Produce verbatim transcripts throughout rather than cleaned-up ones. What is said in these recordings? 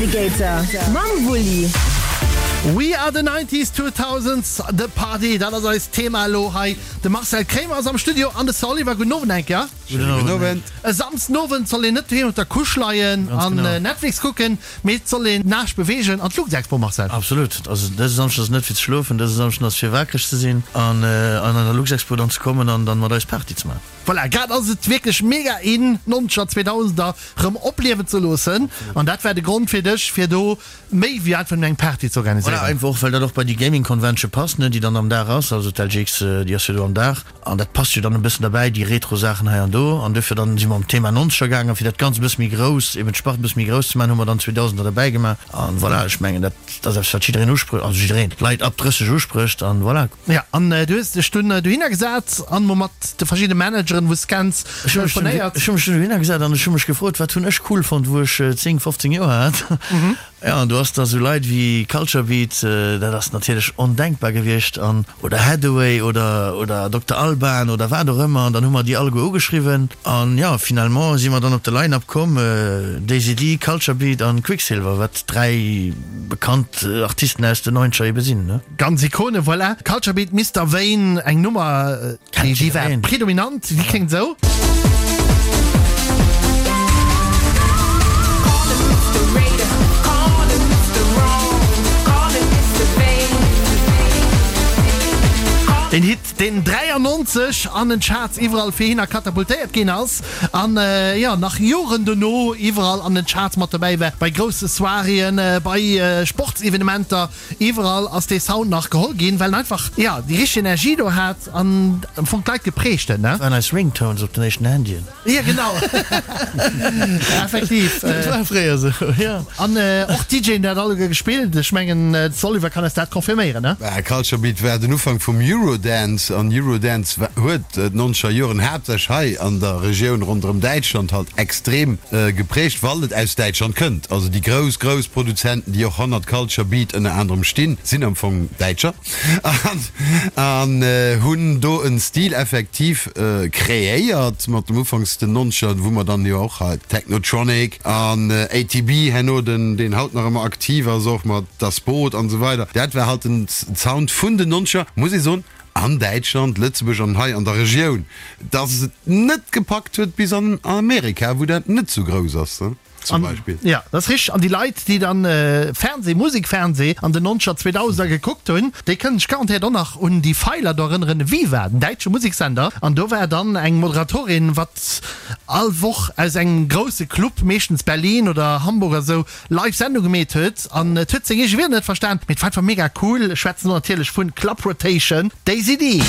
Navigator mam Wulli. We are the nineties, two thousands, the party, dat ass eist Thema elo hei. De Marcel Kremer ass am Studio an de Sir Oliver. Gudden Owend eng Kéier. Gudden Owend. E Samsdenowend soll een net doheem op der Couche leien an Netflix kucken, mee et soll een d'Naascht beweegen an d'Luxexpo, Marcel. Absolut. Also dëse Samschden ass net fir ze schlofen, dëse Samschden ass fir wakereg ze sinn an an der Luxexpo dann ze kommen an dann mat eis Party ze maachen. Voilà, grad ass et wierklech mega in, d'Nonzeger, Zweedausender rëm opliewen ze loossen an dat war de Grond fir dech, fir do méi wéi einfach nëmmen eng Party ze organiséieren. Voilà, einfach och well dat och bei déi Gaming Convention passt, ne, déi dann am Dag ass, also d'L G X, déi ass jo do am Dag an dat passt jo dann e bëssen derbäi, déi Retro-Saachen hei an do. An duerfir dann si mer um Thema Nonzeger gaangen, fir dat Ganzt e bësse méi grouss, eben d'Spart e bësse méi grouss ze maachen, hu mer dann Zweedausender derbäi gemaach an voilà, ech mengen dat ass eppes wat jiddereen usprécht, also jiddereen, d'Leit ab drësseg usprécht an voilà. Jo, an du hues dech dunn dohinner gesat an mol mat de verschiddene Manageren, wou s kenns, Ech hu mech dunn, telefonéiert. ech hu mech dunn dohinner gesat an ech hu mech gefrot, wat hunn ech cool fonnt, wou ech zéng, fofzéng Joer hat. Jo, an do ass da sou Leit wéi Culture Beat, dat ass natierlech ondenkbar gewiescht, an, oder Haddaway oder, oder Dokter Alban oder wat och ëmmer, an dann hu mer déi alleguer ugeschriwwen an jo, finalement si mer dann op de Line-Up komm, Daisy Dee, Culture Beat an Quicksilver, wat dräi bekannt Artisten aus den Neunzeger ebe sinn, ne. Ganz Ikone, voilà. Culture Beat, Mister Vain, eng Nummer, Kennt déi war jiddereen. predominant, déi kléngt esou. Den Hit, deen dräiannonzeg an den Charts iwwerall fir hinner katapultéiert ginn ass an jo nach Joren dono iwwerall an den Charts mat dobäi war, bei grousse Soiréeën, bei Sportsevenementer, iwwerall ass dee Sound nach geholl ginn, well en einfach jo déi richteg Energie do hat an am Fong d'Leit geprägt huet, ne? Dat waren eis Ringtones op den éischten Handyen. Jo genau, effektiv. Dat war fréier esou, jo. An och d'DJen dat alleguer gespillt. Ech mengen de Oliver kann eis dat confirméieren, ne? Bah, Culture Beat war den Ufank vum Eurodance an Eurodance huet d'nonzeger Joren haaptsächlech hei an der Regioun ronderëm Däitschland halt extrem geprägt, well et aus Däitschland kënnt. Also déi grouss, grouss Produzenten, déi och hannert Culture Beat ënner anerem stinn, sinn am Fong Däitscher an hunn do en Stil effektiv kreéiert mat dem Ufanks den nonzeger, wou mer dann jo och hei Technotronic an A T B herno, den deen haut nach ëmmer aktiv ass, och mat Das Boot an esou weider. Dat war halt den Sound vun den nonzeger, muss ee soen, an Däitschland, Lëtzebuerg an hei an der Regioun, dass et net gepackt huet bis an Amerika, wou dat net sou grouss ass, zum Beispill. Jo, dat ass richteg. An déi Leit, déi dann Fernseh, Musikfernseh an den nonzeger, zweedausender gekuckt hunn, déi kënnen sech garantéiert och nach un déi Feiler do erënneren, Viva, den däitsche Museksender. An do war dann eng Moderatorin, wat all Woch aus engem grousse Club, meeschtens Berlin oder Hamburg oder sou, live Sendung gemeet huet. An et huet seng eege Wierder net verstan, mee et war einfach mega cool. Ech schwätzen do natierlech vun Club Rotation, Daisy Dee.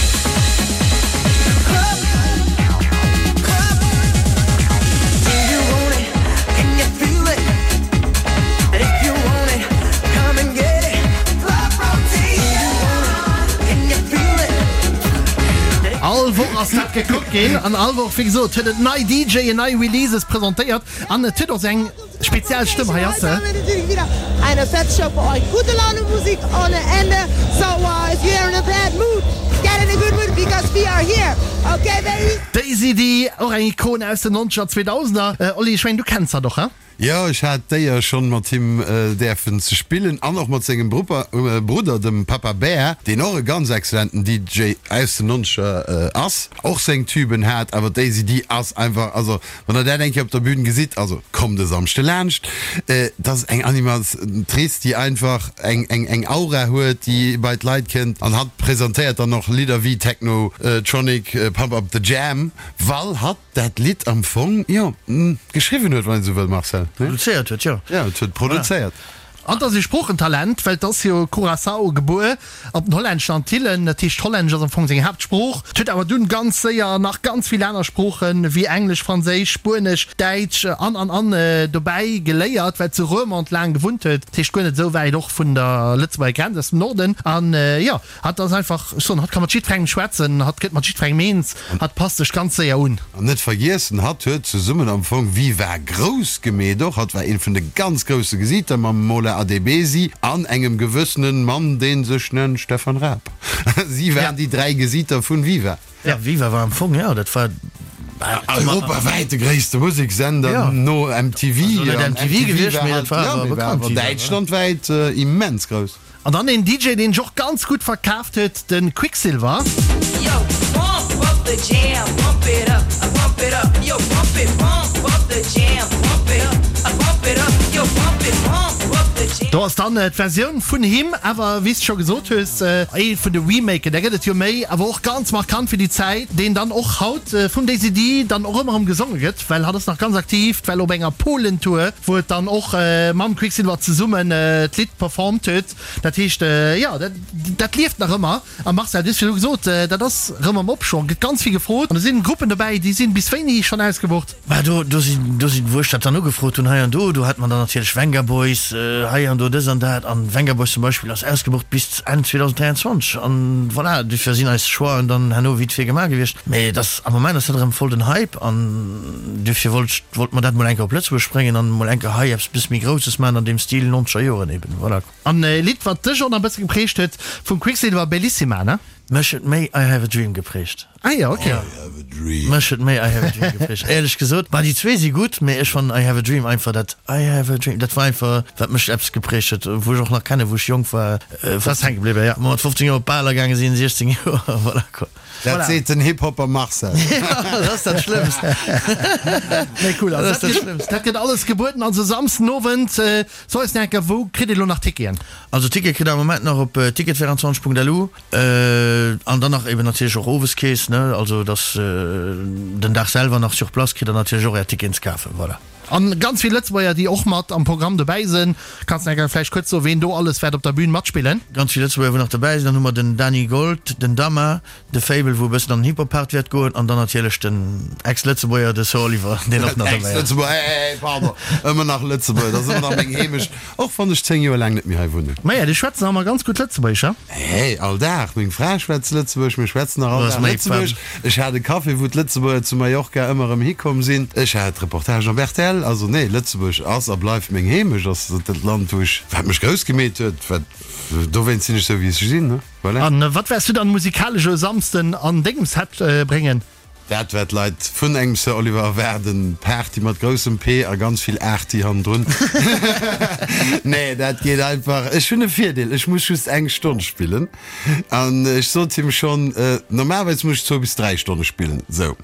All Woch ass dat gekuckt ginn an all Woch, wéi gesot, huet et nei D Jen, nei Releases presentéiert an et huet och seng speziell Stëmm. Hei ass se. Eine fette Show für euch. Gute Laune Musik ohne Ende. So uh, if you're in a bad mood, get in a good mood because we are here. Okay, baby? Daisy Dee, och eng Ikon aus den nonzeger, zweedausender. Oli, ech mengen, du kenns hatt och, he? Jo, ech hat d'Éier schonn mat him däerfen ze spillen an och mat sengem Brudder, dem Papa Bear, deen och e ganz excellenten D J aus den Nonzeger ass, och seng Tüben hat. Awer d'Daisy Dee ass einfach, also wann der dat eng Kéier op der Bühn gesitt, also kommt e Samschde laanscht, dat ass eng Animatrice, déi einfach eng eng Aura huet, déi bei d'Leit kënnt, an hatt presentéiert dann och Lidder wéi Technotronic, Pump Up The Jam, well hatt dat Lidd am Fong, jo, geschriwwen huet, wann een esou wëll, Marcel, ne? Produzéiert huet, jo. Jo, et huet produzéiert. An et ass e Sproochentalent, well et ass jo Curaçao gebuer, op den hollänneschen Antillen. Dat heescht, Hollännesch ass am Fong seng Haaptsprooch. Et huet awer dunn ganz séier nach ganz vill aner Sproochen, wéi Englesch, Franséisch, Spuenesch, Däitsch an, an, an dobäi geléiert, well et zu Roermond laang gewunnt huet. Dat heescht, guer net esou wäit och vun der Lëtzebuerger Grenz, aus dem Norden. An jo, hatt ass einfach, ech soen, hatt ka mat jiddwerengem schwätzen, hatt gëtt mat jiddwerengem eens, hatt passt sech ganz séier un. An net vergiessen, hatt huet zesummen am Fong Viva grouss gemeet och. Hatt war een vun de ganz grousse Gesiiter mam Mola Adebisi an engem gewëssenen Mann, dee sech nennt Stefan Raab. Si waren déi dräi Gesiiter vun Viva. Ja, Viva war am Fong, jo, dat war Europawäit de gréisste Museksender no M T V. Also net M T V gewiescht, mee dat war awer bekannt hir. Däitschlandwäit immens grouss. An dann een D J, deen sech och ganz gutt verkaaft huet, de Quicksilver. Yo, pump up the jam, pump it up, pump it up, yo, pump it, pump up the jam, pump it up, pump it up, yo, pump it, pump up the jam. Do ass dann d'Versioun vun him, awer wéi s de scho gesot hues, ee vun de Remaken, där gëtt et jo méi, awer och ganz markant fir déi Zäit, deen dann och haut vum Daisy Dee dann och ëmmer erëm gesonge gëtt, well hatt ass nach ganz aktiv, well op enger Polen-Tour, wou et dann och mam Quicksilver zesummen d'Lidd performt huet. Dat heescht, jo, dat, dat lieft nach ëmmer. A Marcel, du hues virdru gesot, dat ass erëm am Opschwong, gëtt ganz vill gefrot an do sinn Gruppen dobäi, déi sinn bis wéini schonn ausgebucht? Bah, do, do sinn, do sinn, wou ech dat dann ugefrot hunn hei an do, do hat mer dann natierlech Vengaboys hei an do, dës an dat. An Vengaboys zum Beispill ass ausgebucht bis Enn zweedausenddräianzwanzeg. An voilà, dofir sinn eis Choixen dann herno vite fait gemaach gewiescht. Mee et ass, am Moment ass dat erëm voll den Hype an dofir wollt ech, wollt mer dat mol eng Kéier op Lëtzebuerg bréngen an mol eng Kéier hei eppes bësse méi Grousses maachen an deem Stil nonzeger Joren eben. Voilà. An e Lidd, wat dech och nach e bësse geprägt huet, vum Quicksilver, Bellissima, ne? Mech huet méi I Have a Dream geprägt. Ah jo, ok. I have a dream. Mech huet méi I Have a Dream geprägt, éierlech gesot. Bah, déi zwee si gutt, mee ech fannen I Have a Dream einfach dat I have a dream, dat war einfach wat mech eppes geprägt huet, wou ech och nach kennen, wou ech jonk war. Dat ass hänke bliwwen, ja. Mat fofzéng Joer op Baler gaange sinn, siechzéng Joer, voilà quoi. Dat seet den Hip-Hopper Marcel. Ja, dat ass dat Schlëmmst. Nee, cool. Dat Also ass dat dat gëtt, Schlëmmst. dat gëtt alles gebueden. Also Samsden Owend, so eis nach eng Kéier, wou kritt ee lo nach Ticketen? Also Ticket kritt der am Moment nach op ticket vierundzwanzeg punkt lu an dann nach eben natierlech och Oweskeess, ne, also dass den Dag selwer nach sur place kritt der natierlech och är Ticketen ze kafen, voilà. An ganz vill Lëtzebuerger, déi och mat am Programm dobäi sinn. Kanns de vläicht kuerz soen, ween do alles wäert op der Bühn matspillen? Ganz vill Lëtzebuerger wou nach dobäi sinn. Dann hu mer den Dany Gold, den Dama, de Fable wou e bëssen an den Hip-Hop-Part wäert goen an dann natierlech den Ex-Lëtzebuerger, de Sir Oliver, deen och nach dobäi ass. Ex-Lëtzebuerger, hey, hey, pardon, ëmmer nach Lëtzebuerger, dat ass ëmmer nach meng Heemecht, och wann ech zéng Joer laang net méi hei wunnen. Maja, déi schwätzen awer ganz gutt Lëtzebuergesch, he? Hey, all Dag, meng Fra schwätzt Lëtzebuergesch, mir schwätzen nach all Dag Lëtzebuergesch. Ech hat e Café, wou d'Lëtzebuerger zu Mallorca ëmmer erëm hikomm sinn. Ech hat Reportagen op R T L. Also nee, Lëtzebuerg ass a bleift meng Heemecht, ass dat Land, wou ech, wat mech grouss gemeet huet, wat, dowéinst sinn ech sou, wéi ech sinn, ne? Voilà. An wat wäers du dann musikalesch e Samsden an dengem Set bréngen? Dat wat d'Leit vun engem Sir Oliver erwaarden, Party mat groussem P a ganz vill Arty hannendrun. Nee, dat geet einfach. Ech hunn e Virdeel, ech muss just eng Stonn spillen. An ech sot him schonn, normalerweis muss ech zwou bis dräi Stonne spillen. Sou,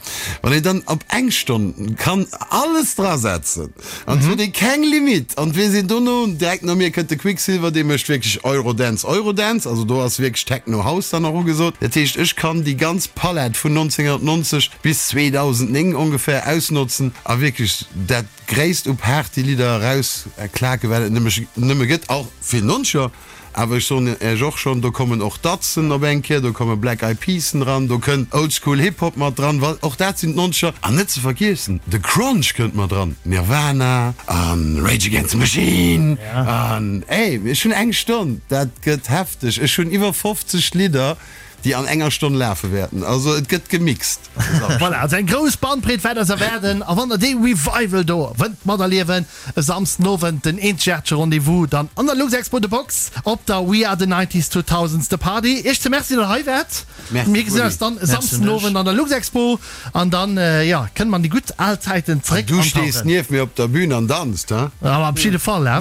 wann een dann op eng Stonn kann alles drasetzen an et huet ee keng Limit an et weess een dono, direkt no mir kënnt de Quicksilver, dee mécht wierklech Eurodance, Eurodance, also do ass wierklech Techno House dann nach ugesot. Dat heescht, ech kann déi ganz Palett vun neunzehnhundertneunzeg bis zweedausendnéng ongeféier ausnotzen a wierklech dat Gréisst u Partylidder erausklaken, wat et nëmme gëtt, och vill Nonzeger. Awer ech soen Iech och schonn, do kommen och Datsen op eng Kéier, do komme Black Eyed Peasen dran, do kënnt Oldschool Hip Hop mat dran, well och dat sinn d'Nonzeger. An net ze vergiessen, de Crunch kënnt mat dran, Nirvana a Rage Against the Machine an, ey, ech hunn eng Stonn, dat gëtt hefteg. Ech hunn iwwer fofzeg Lidder, déi an enger Stonn lafe wäerten. Also et gëtt gemixt. Voilà, also eng grouss Bandbreet wäert eis erwaarden. A wann der dee Revival do wëllt materliewen, e Samsden Owend den eenzegaartege Rendez-vous dann an der Luxexpo The Box op der We Are The Nineties Two Thousands The Party. Iech ze Merci, datt der hei waart. Merci, Mir gesinn Willy. eis dann e Samsden Owend an der Luxexpo an dann, jo, kënne mer an déi gutt al Zäiten An zeréck du stees antauchen. nieft mir op der Bühn an danzt, he? Awer op jidde Fall, he?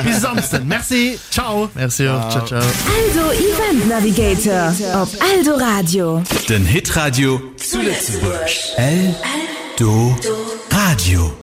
Bis e Samsden. Merci, ciao. Merci och, ciao, ciao. Eldo Event Navigator op Eldoradio. Den Hitradio zu Lëtzebuerg. Eldoradio.